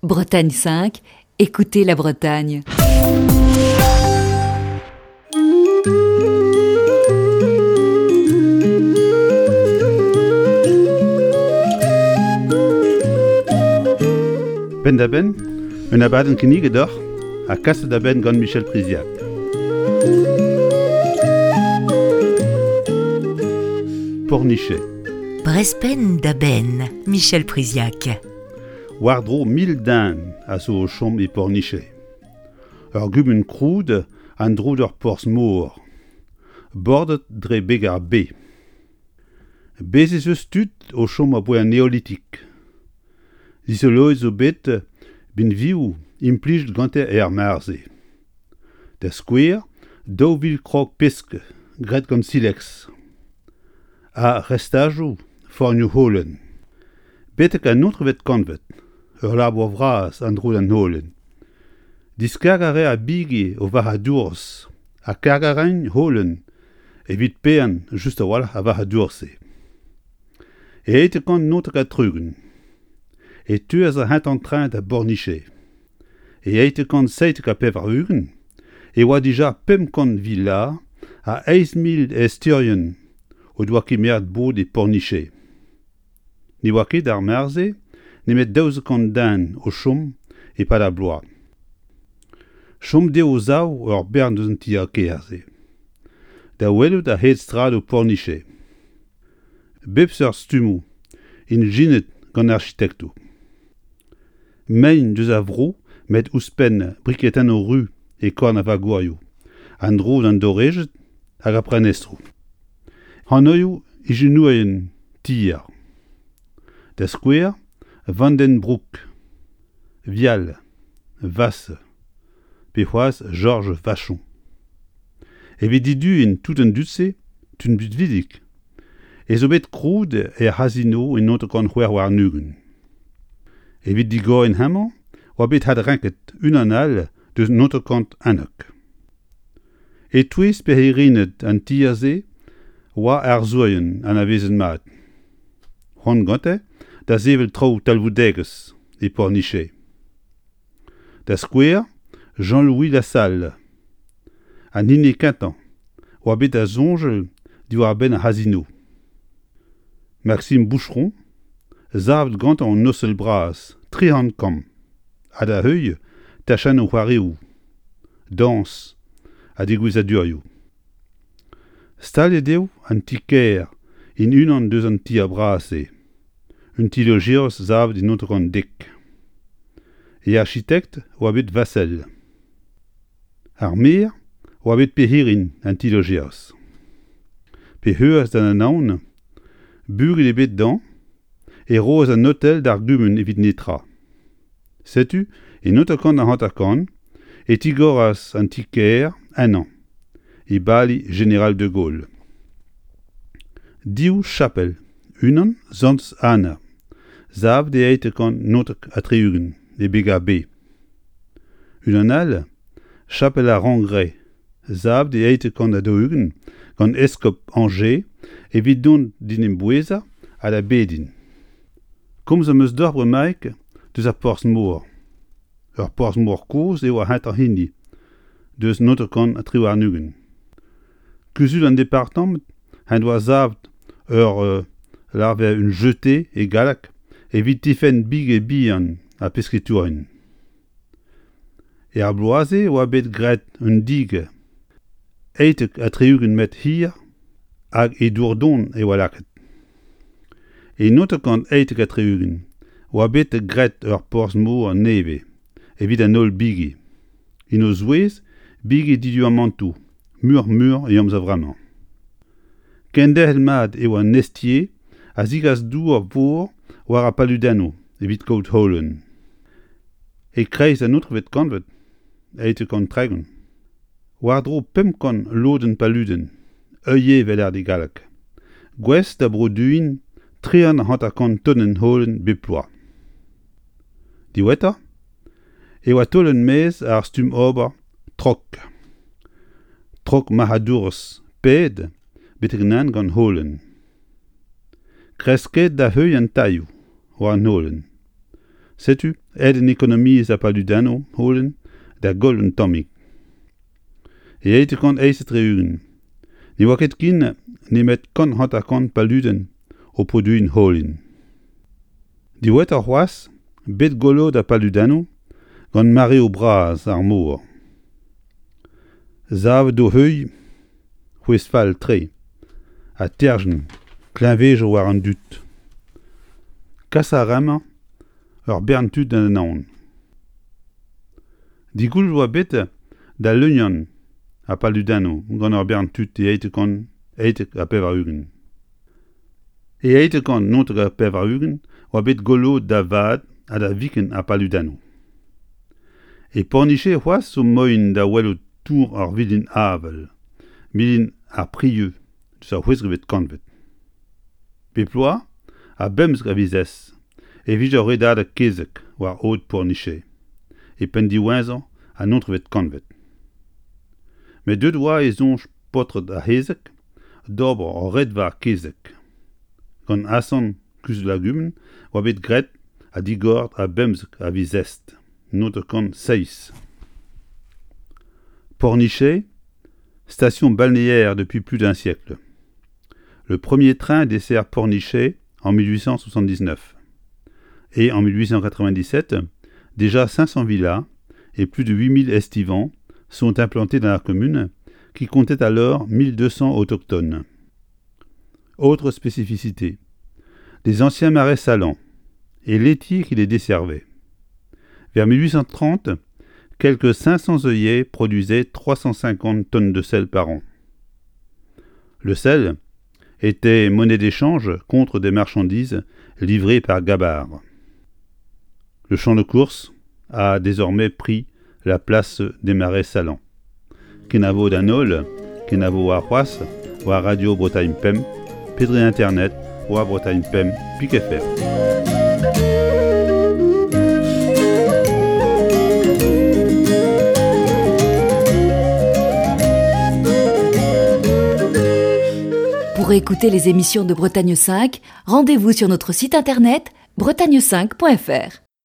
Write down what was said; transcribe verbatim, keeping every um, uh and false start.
Bretagne cinq, écoutez la Bretagne. Penn-da-benn, un abadenn kinniget deoc'h ha kaset da benn gant Michel Priziac. Pornichet. Brezh penn da benn, Michel Priziac. War-dro mil den a zo o chom e Pornichet. Ur gumun krouet en-dro d'ur porzh-mor, bordet dre beg ar Be. Bez' ez eus tud o chom aboae an Neolitik. Dizoloet zo bet binvioù implijet gante er mare-se. Da skouer, daou vil krog-pesk graet gant sileks ha restajoù fornioù-holen. Betek an naontekvet kantved, ur labour vras en-dro d'an holen. Diskargañ a rae ar bigi o varc'hadourezh ha kargañ a raent holen evit paeañ just a-walc'h ar varc'hadourezh-se. E eizhtek kant naontek ha tri-ugent e teuas ar c'hentañ tren da Bornichet. E eizhtek kant seitek ha pevar-ugent e oa dija pemp kant villa ha eizh mil ezteurien o doa kemeret bod e Pornichet. Ne oa ket d'ar mare-se nemet daouzek kant den o chom e-pad ar bloaz. Chom dezho o-zaou ur bern eus an tier-kêr-se. Da welout a-hed straedoù Pornichet. Bep seurt stummoù ijinet gant arkitektoù. Mein deus ar vro met ouzhpenn briketennoù ruz e korn ar vagourioù, en-dro d'an dorejed hag ar prenestroù. Anvioù ijinourien tier. Da skouer, Vandenbrouck, Vial, Vasse, pe c'hoazh Georges Vachon. Evit diduiñ tout an dud-se, tud binvidik, ez zo bet krouet er c'hazino e naontek kant c'hwec'h warn-ugent. Evit digoriñ hemañ oa bet adrenket unan all deus naontek kant unnek. E-touez perc'henned an tier-se oa arzourien anavezet mat. C'hoant gante da sevel traoù talvoudegezh e Pornichet. Da skouer, Jean-Louis Lassalle, an hini kentañ oa bet da soñjal diwar-benn ar c'hazino. Maxime Boucheron, savet gantañ an ostel bras tri c'hant kambr, ha da heuilh tachennoù c'hoarioù, dañs ha degouezhadurioù. Staliet eo an ti-kêr en unan deus an tier bras-se, un ti-lojerzh savet e naontek kant dek. E architekt oa bet Vassel. Ar maer oa bet perc'henn an ti-lojerzh. P'e c'heuas d'an Anaon, bugel ebet dezhañ, e roas an otel d'ar gumun evit netra. Setu, e naontek kant hanter-kant, e tigoras an ti-kêr ennañ, e bali Jeneral de Gaulle. Div chapel, unan Santez Anna, savet e eizhtek kant naontek ha tri-ugent e beg ar Be. Unan all, chapel ar Rangray, savet e eizhtek kant ha daou-ugent gant eskob Angers evit dont d'en em bouezañ ha da bediñ. Komz am eus deoc'h bremaik deus ar porzh-mor. Ur porzh-mor kozh eo ar c'hentañ hini, deus naontek kant ha tri warn-ugent. Kuzul an departamant en doa savet ur larver un jetée e galleg evit tifenn bigi bihan ha pesketourien. Er bloaz-se oa bet graet un dig eizhtek ha tri-ugent metr hir hag e dour don e oa lakaet. E naontek kant eizhtek ha tri-ugent oa bet graet ur porzh-mor nevez evit an holl bigi, en o zouez bigi diduamantoù muioc'h-mui e amzer vremañ. Kenderc'hel mat eo an Nestier a zegas dour vor war ar paludennoù evit kaout holen. E-kreiz an naontekvet kantved, eizhtek kant tregont, war-dro pemp kant lodenn paludenn, œillet evel e galleg, gouest da broduiñ tri c'hant hanter-kant tonenn holen bep bloaz. Diwezhatoc'h e oa taolet maez ar stumm ober trok. Trok marc'hadourezh paeet betek-henn gant holen. Kresket da heuilh an tailhoù war an holen. Setu aet an ekonomiezh ar paludennoù holen da goll un tammig. E eizh kant eizh ha tri-ugent ne oa ket ken nemet kant hanter-kant paludenn o produiñ holen. Diwezhatoc'h c'hoazh, bet goloet ar paludennoù gant mareoù bras ar mor. Savet d'o heuilh c'hwezh fall-tre ha terjen kleñvedoù war an dud. Kas a ra-mañ ur bern tud d'an Anaon. Digoullet oa bet da leuniañ ar paludennoù gant ur bern tud e eizh kant eitek ha pevar-ugent. E eizh kant naontek ha pevar-ugent oa bet goloet da vat ha da viken ar paludennoù. E Pornichet c'hoazh zo moaien da welout tour ar vilin-avel, milin ar Prieux eus ar c'hwezekvet kantved. Bep bloaz, a bemzek a viz e vije ur redadeg kezeg war aod Pornichet, e penn diwezhañ an naontekvet kantved. Met deuet oa e soñj paotred ar c'hezeg d'ober ur redva kezeg. Gant asant kuzul ar gumun oa bet graet ha digoret a bemzek a viz Est naontek kant seizh. Pornichet, station balnéaire depuis plus d'un siècle. Le premier train dessert Pornichet en mille huit cent soixante-dix-neuf. Et en mille huit cent quatre-vingt-dix-sept, déjà cinq cents villas et plus de huit mille estivants sont implantés dans la commune qui comptait alors mille deux cents autochtones. Autre spécificité, les anciens marais salants et l'étier qui les desservait. Vers mille huit cent trente, quelque cinq cents œillets produisaient trois cent cinquante tonnes de sel par an. Le sel était monnaie d'échange contre des marchandises livrées par Gabard. Le champ de course a désormais pris la place des marais salants. Kenavo d'an holl, kenavo ar c'hoazh, war Radio Bretagne Pemp, pedre Internet, war Bretagne Pemp, pik F R. Pour écouter les émissions de Bretagne cinq, rendez-vous sur notre site internet bretagne cinq point F R.